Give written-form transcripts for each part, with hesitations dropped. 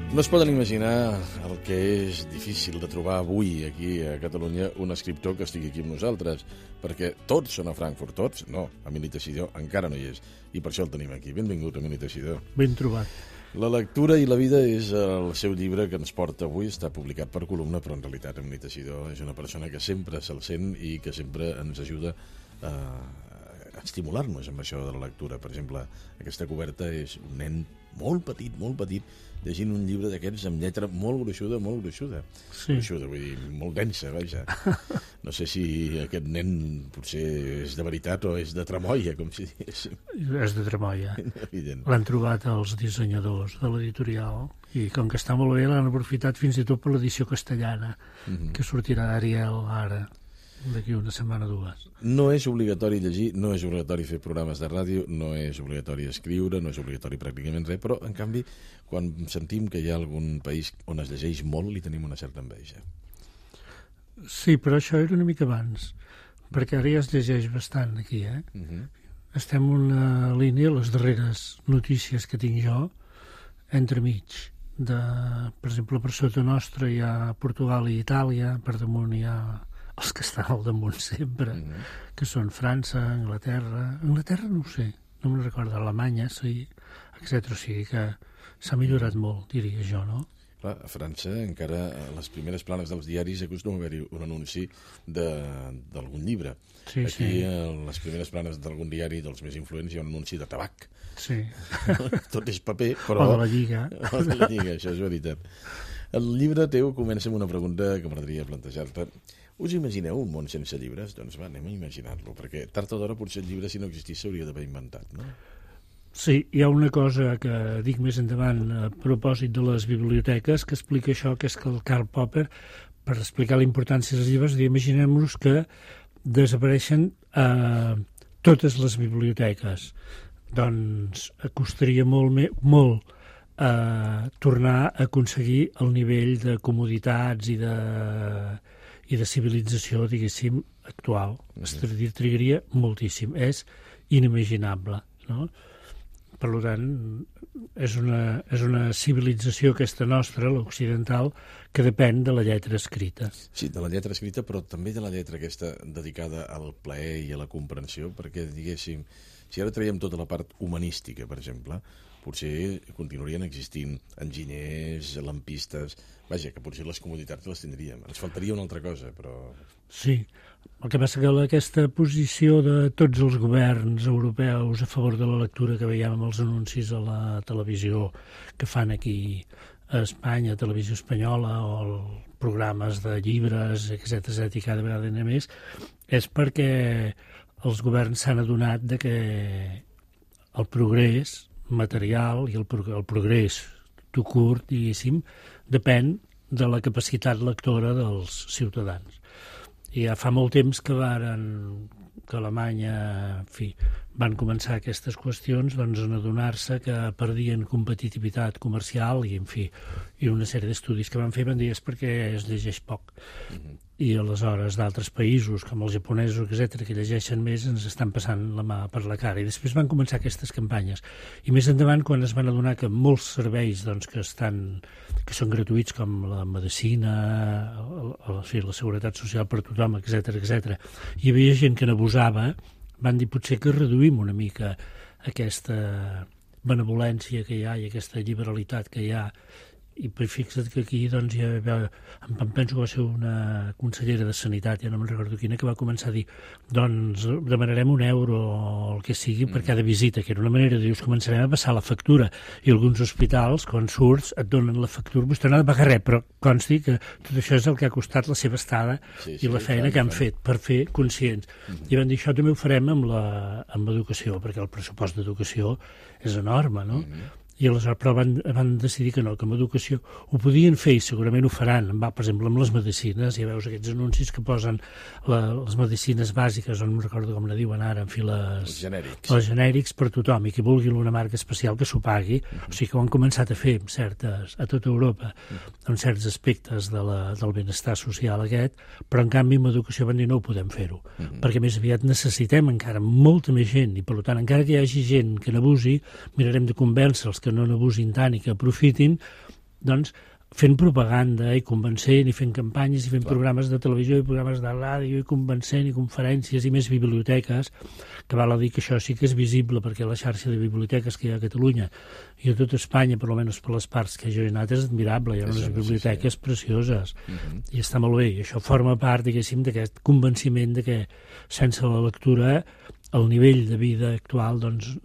No es poden imaginar el que és difícil de trobar avui aquí a Catalunya un escriptor que estigui aquí amb nosaltres, perquè tots són a Frankfurt, tots? No, Emili Teixidor encara no hi és, i per això el tenim aquí. Benvingut, Emili Teixidor. Ben trobat. La lectura i la vida és el seu llibre que ens porta avui, està publicat per columna, però en realitat Emili Teixidor és una persona que sempre se'l sent i que sempre ens ajuda a estimular-nos amb això de la lectura. Per exemple, aquesta coberta és un nen molt petit, llegint un llibre d'aquests amb lletra molt gruixuda. Sí. Gruixuda, vull dir, molt densa, vaja. No sé si aquest nen potser és de veritat o és de tramoia, com si diguéssim. És de tramoia. Evident. L'han trobat els dissenyadors de l'editorial i com que està molt bé l'han aprofitat fins i tot per l'edició castellana, que sortirà d'Ariel ara, d'aquí una setmana o dues. No és obligatori llegir, no és obligatori fer programes de ràdio, no és obligatori escriure, no és obligatori pràcticament res, però en canvi quan sentim que hi ha algun país on es llegeix molt li tenim una certa enveja. Sí, però això era una mica abans, perquè ara ja es llegeix bastant aquí, eh? Estem en una línia, les darreres notícies que tinc jo, entremig. Per exemple, per sota nostra hi ha Portugal i Itàlia, per damunt hi ha els que estan al damunt sempre, que són França, Anglaterra no ho sé, no me'n recordo, Alemanya, sí, etc. O sigui que s'ha millorat molt, diria jo, no? Clar, a França encara a les primeres planes dels diaris acostuma a haver-hi un anunci d'algun llibre. Sí, aquí a les primeres planes d'algun diari dels més influents hi ha un anunci de tabac. Sí. Tot és paper, però... O de la Lliga. O de la Lliga, això és veritat. El llibre teu comença amb una pregunta que m'agradaria plantejar-te. Us imagineu un món sense llibres? Doncs va, anem a imaginar-lo, perquè tard o d'hora potser el llibre, si no existís, s'hauria d'haver inventat, no? Sí, hi ha una cosa que dic més endavant a propòsit de les biblioteques que explica això, que és que el Karl Popper, per explicar la importància dels llibres, imaginem-nos que desapareixen totes les biblioteques. Doncs costaria molt tornar a aconseguir el nivell de comoditats i de civilització, diguéssim, actual. Trigaria moltíssim. És inimaginable, no? Per tant, és una civilització aquesta nostra, l'occidental, que depèn de la lletra escrita. Sí, de la lletra escrita, però també de la lletra aquesta dedicada al plaer i a la comprensió, perquè, diguéssim, si ara traiem tota la part humanística, per exemple, potser continuarien existint enginyers, lampistes... Vaja, que potser les comoditats les tindríem. Ens faltaria una altra cosa, però... Sí, el que passa que aquesta posició de tots els governs europeus a favor de la lectura que veiem amb els anuncis a la televisió que fan aquí a Espanya, a Televisió Espanyola, o programes de llibres, etc., i cada vegada n'hi ha més, és perquè els governs s'han adonat de que el progrés material i el progrés tot curt, diguéssim, depèn de la capacitat lectora dels ciutadans. I ja fa molt temps que Alemanya, en fi, van començar aquestes qüestions, doncs, en adonar-se que perdien competitivitat comercial i, en fi, i una sèrie d'estudis que van fer van dir és perquè es llegeix poc. I aleshores d'altres països, com els japonesos, etc., que llegeixen més, ens estan passant la mà per la cara. I després van començar aquestes campanyes. I més endavant, quan es van adonar que molts serveis doncs, que són gratuïts, com la medicina, la seguretat social per tothom, etc., hi havia gent que n'abusava, van dir potser que reduïm una mica aquesta benevolència que hi ha i aquesta liberalitat que hi ha. I fixa't que aquí doncs, em penso que va ser una consellera de Sanitat, ja no me'n recordo quina, que va començar a dir doncs demanarem €1 o el que sigui per cada visita, que era una manera de dir, us començarem a passar la factura. I alguns hospitals, quan surts, et donen la factura, vostè no ha de pagar res, però consti que tot això és el que ha costat la seva estada i la feina que han fet per fer conscients. I van dir, això també ho farem amb l'educació, perquè el pressupost d'educació és enorme, no? I aleshores però van decidir que no, que amb educació ho podien fer i segurament ho faran. Per exemple, amb les medicines, ja veus aquests anuncis que posen les medicines bàsiques, no recordo com la diuen ara, en fi, els genèrics per tothom, i qui vulgui una marca especial que s'ho pagui. O sigui que ho han començat a fer a tota Europa, en certs aspectes del benestar social aquest, però en canvi amb educació van dir no ho podem fer-ho, perquè més aviat necessitem encara molta més gent, i per tant, encara que hi hagi gent que n'abusi, mirarem de convèncer els que no n'abusin tant i que aprofitin, doncs, fent propaganda i convencent i fent campanyes i fent programes de televisió i programes de ràdio i convencent i conferències i més biblioteques, que val a dir que això sí que és visible perquè la xarxa de biblioteques que hi ha a Catalunya i a tot Espanya, per almenys per les parts que jo he anat, és admirable, hi ha unes biblioteques precioses i està molt bé, i això forma part, diguéssim, d'aquest convenciment de que sense la lectura el nivell de vida actual doncs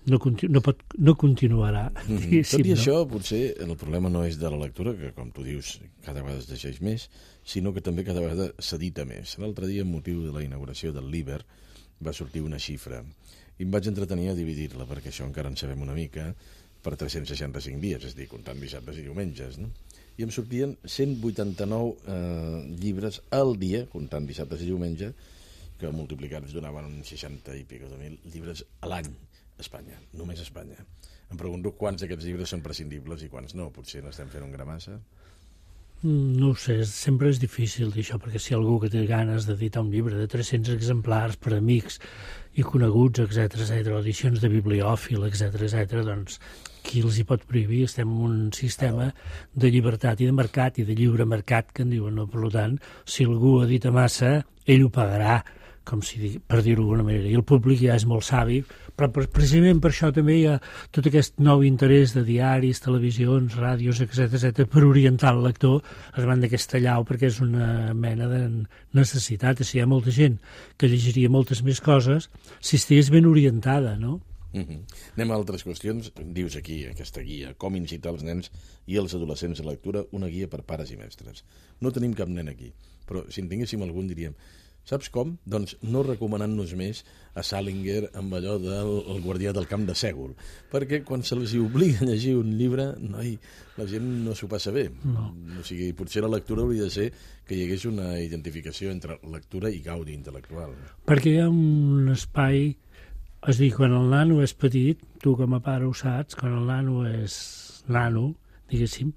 no continuarà. Tot i això, potser el problema no és de la lectura, que com tu dius, cada vegada es llegeix més, sinó que també cada vegada s'edita més. L'altre dia, amb motiu de la inauguració del Liber, va sortir una xifra i em vaig entretenir a dividir-la, perquè això encara en sabem una mica, per 365 dies, és a dir, comptant dissabtes i diumenges, no? I em sortien 189 llibres al dia, comptant dissabtes i diumenges, que multiplicats donaven uns 60 i pico de mil llibres a l'any a Espanya, només a Espanya. Em pregunto quants d'aquests llibres són prescindibles i quants no. Potser n'estem fent un gra massa. No ho sé, sempre és difícil dir això, perquè si algú que té ganes d'editar un llibre de 300 exemplars per amics i coneguts, etc, o edicions de bibliòfil, etc, doncs qui els hi pot prohibir? Estem en un sistema de llibertat i de mercat i de lliure mercat, que en diuen, no? Per tant, si algú edita massa, ell ho pagarà, com si, per dir-ho d'alguna manera, i el públic ja és molt savi, però precisament per això també hi ha tot aquest nou interès de diaris, televisions, ràdios, etc, per orientar el lector davant d'aquesta llau, perquè és una mena de necessitat. O sigui, hi ha molta gent que llegiria moltes més coses si estigués ben orientada, no? Anem a altres qüestions. Dius aquí, aquesta guia, com incitar els nens i els adolescents a la lectura, una guia per pares i mestres. No tenim cap nen aquí, però si en tinguéssim algun diríem, saps com? Doncs no recomanant-nos més a Salinger amb allò del guardià del camp de Sègol, perquè quan se'ls obliga a llegir un llibre, la gent no s'ho passa bé. No. O sigui, potser la lectura hauria de ser que hi hagués una identificació entre lectura i gaudi intel·lectual. Perquè hi ha un espai, és a dir, quan el nano és petit, tu com a pare ho saps, quan el nano és nano, diguéssim,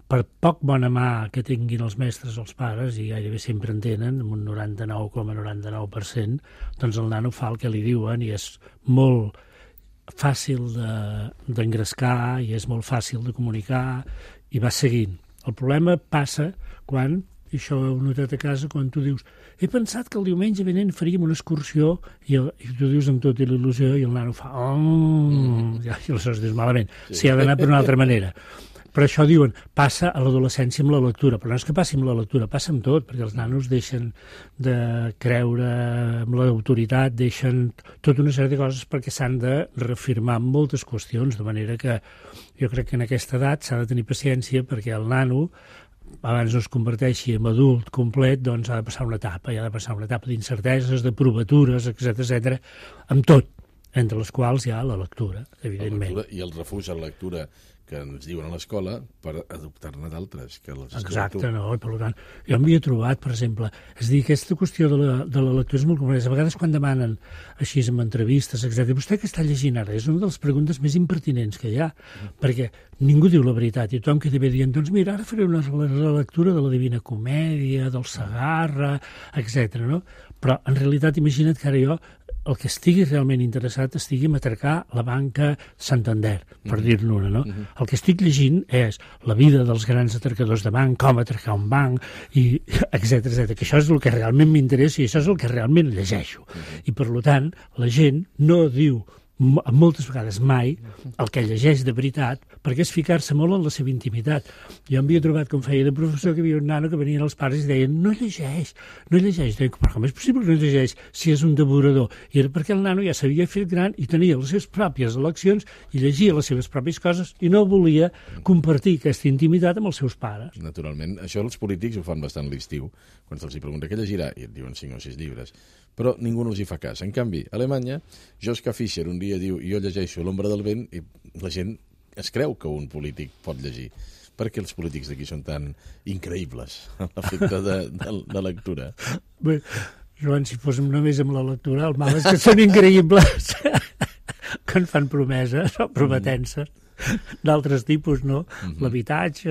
per poc bona mà que tinguin els mestres o els pares, i gairebé sempre en tenen, amb un 99,99%, doncs el nano fa el que li diuen i és molt fàcil d'engrescar i és molt fàcil de comunicar i va seguint. El problema passa quan, i això ho he notat a casa, quan tu dius he pensat que el diumenge vinent faríem una excursió i tu dius amb tota il·lusió i el nano fa i aleshores dius malament, s'hi ha d'anar per una altra manera. Per això diuen, passa a l'adolescència amb la lectura, però no és que passi amb la lectura, passa amb tot, perquè els nanos deixen de creure en l'autoritat, deixen tota una sèrie de coses perquè s'han de reafirmar en moltes qüestions, de manera que jo crec que en aquesta edat s'ha de tenir paciència perquè el nano, abans no es converteixi en adult complet, doncs ha de passar una etapa, i ha de passar una etapa d'incerteses, de provatures, etc, amb tot, entre les quals hi ha la lectura, evidentment. La lectura i el refús a la lectura que ens diuen a l'escola per adoptar-ne d'altres. Exacte, no, i per tant, jo m'hi he trobat, per exemple, és a dir, aquesta qüestió de la lectura és molt complexa. A vegades quan demanen així en entrevistes, etc. Vostè què està llegint ara? És una de les preguntes més impertinents que hi ha, perquè ningú diu la veritat i tothom queda bé dient, doncs mira, ara faré una relectura de la Divina Comèdia, del Segarra, etc. No? Però en realitat imagina't que ara jo el que estigui realment interessat estigui a atracar la banca Santander, per dir-ne una, no? El que estic llegint és la vida dels grans atracadors de banc, com atracar un banc, i etc, que això és el que realment m'interessa i això és el que realment llegeixo. I, per tant, la gent no diu moltes vegades mai el que llegeix de veritat, perquè és ficar-se molt en la seva intimitat. Jo m'havia trobat, com feia de professor, que hi havia un nano que venien els pares i deien no llegeix. Dic, però com és possible que no llegeix si és un devorador? I era perquè el nano ja s'havia fet gran i tenia les seves pròpies eleccions i llegia les seves pròpies coses i no volia compartir aquesta intimitat amb els seus pares. Naturalment. Això els polítics ho fan bastant l'estiu, quan se'ls pregunta què llegirà i et diuen 5 o 6 llibres. Però ningú no els hi fa cas. En canvi, a Alemanya, Joschka Fischer un dia diu jo llegeixo L'ombra del vent i la gent es creu que un polític pot llegir. Per què els polítics d'aquí són tan increïbles a l'efecte de lectura? Bé, Joan, si fóssim només amb la lectura, el mal és que són increïbles quan fan promeses o prometent-se. d'altres tipus, no? L'habitatge,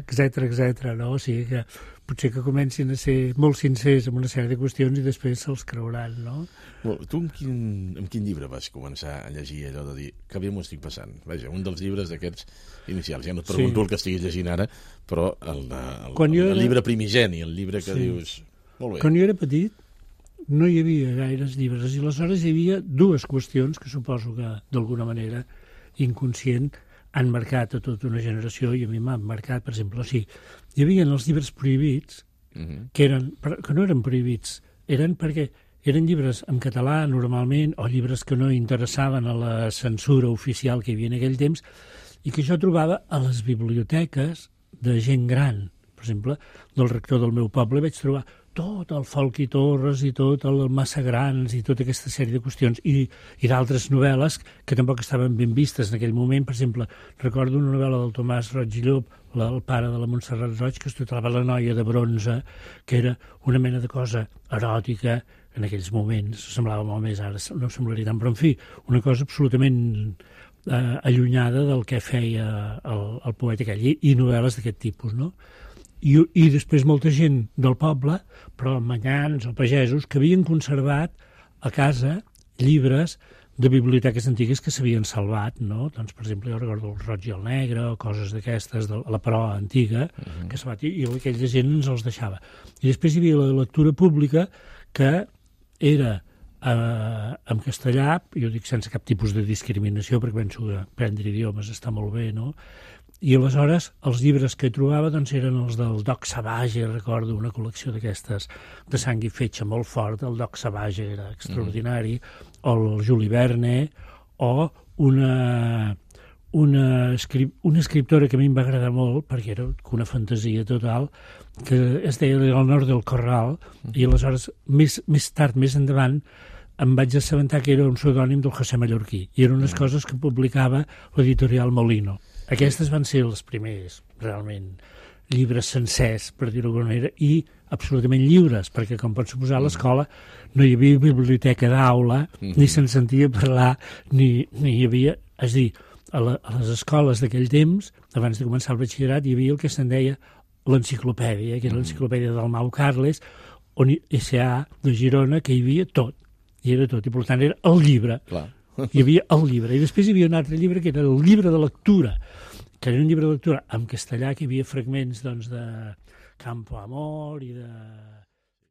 etc, no? O sigui que potser que comencin a ser molt sincers amb una sèrie de qüestions i després se'ls creuran, no? Tu amb quin llibre vas començar a llegir allò de dir que bé m'ho estic passant? Vaja, un dels llibres d'aquests inicials. Ja no et pregunto el que estiguis llegint ara, però el llibre primigeni, el llibre que dius... Molt bé. Quan jo era petit no hi havia gaires llibres i aleshores hi havia dues qüestions que suposo que d'alguna manera inconscient han marcat a tota una generació i a mi m'han marcat, per exemple, hi havia els llibres prohibits que no eren prohibits, eren perquè eren llibres en català normalment o llibres que no interessaven a la censura oficial que hi havia en aquell temps i que jo trobava a les biblioteques de gent gran. Per exemple, del rector del meu poble vaig trobar tot el Folch i Torres i tot el Massagrans i tota aquesta sèrie de qüestions i d'altres novel·les que tampoc estaven ben vistes en aquell moment. Per exemple, recordo una novel·la del Tomàs Roig i Llop, el pare de la Montserrat Roig, que es titulava La noia de bronze, que era una mena de cosa eròtica en aquells moments, semblava molt més, ara no semblaria tant, però en fi, una cosa absolutament allunyada del que feia el poeta aquell, i novel·les d'aquest tipus, no? I després molta gent del poble, però manyans o pagesos, que havien conservat a casa llibres de biblioteques antigues que s'havien salvat, no? Doncs, per exemple, jo recordo el Roig i el Negre o coses d'aquestes, de la proa antiga, que s'ha bat i aquella gent ens els deixava. I després hi havia la lectura pública que era en castellà, jo dic sense cap tipus de discriminació, perquè penso que aprendre idiomes està molt bé, no? I aleshores els llibres que trobava doncs, eren els del Doc Savage, recordo una col·lecció d'aquestes de sang i fetge molt fort, el Doc Savage era extraordinari, o el Juli Verne, o una escriptora que a mi em va agradar molt, perquè era una fantasia total, que es deia El nord del Corral, i aleshores més tard, més endavant, em vaig assabentar que era un pseudònim del José Mallorquí, i eren unes coses que publicava l'editorial Molino. Aquestes van ser els primers, realment, llibres sencers, per dir-ho d'alguna manera, i absolutament lliures, perquè, com pots suposar, a l'escola no hi havia biblioteca d'aula, ni se'n sentia parlar, ni hi havia... És a dir, a les escoles d'aquell temps, abans de començar el batxillerat, hi havia el que se'n deia l'enciclopèdia, que era l'enciclopèdia del Mau Carles, on S.A. de Girona, que hi havia tot, i era tot, i per tant era el llibre. Clar. Hi havia el llibre, i després hi havia un altre llibre que era el llibre de lectura, que era un llibre de lectura en castellà, que hi havia fragments doncs, de Campo Amor i de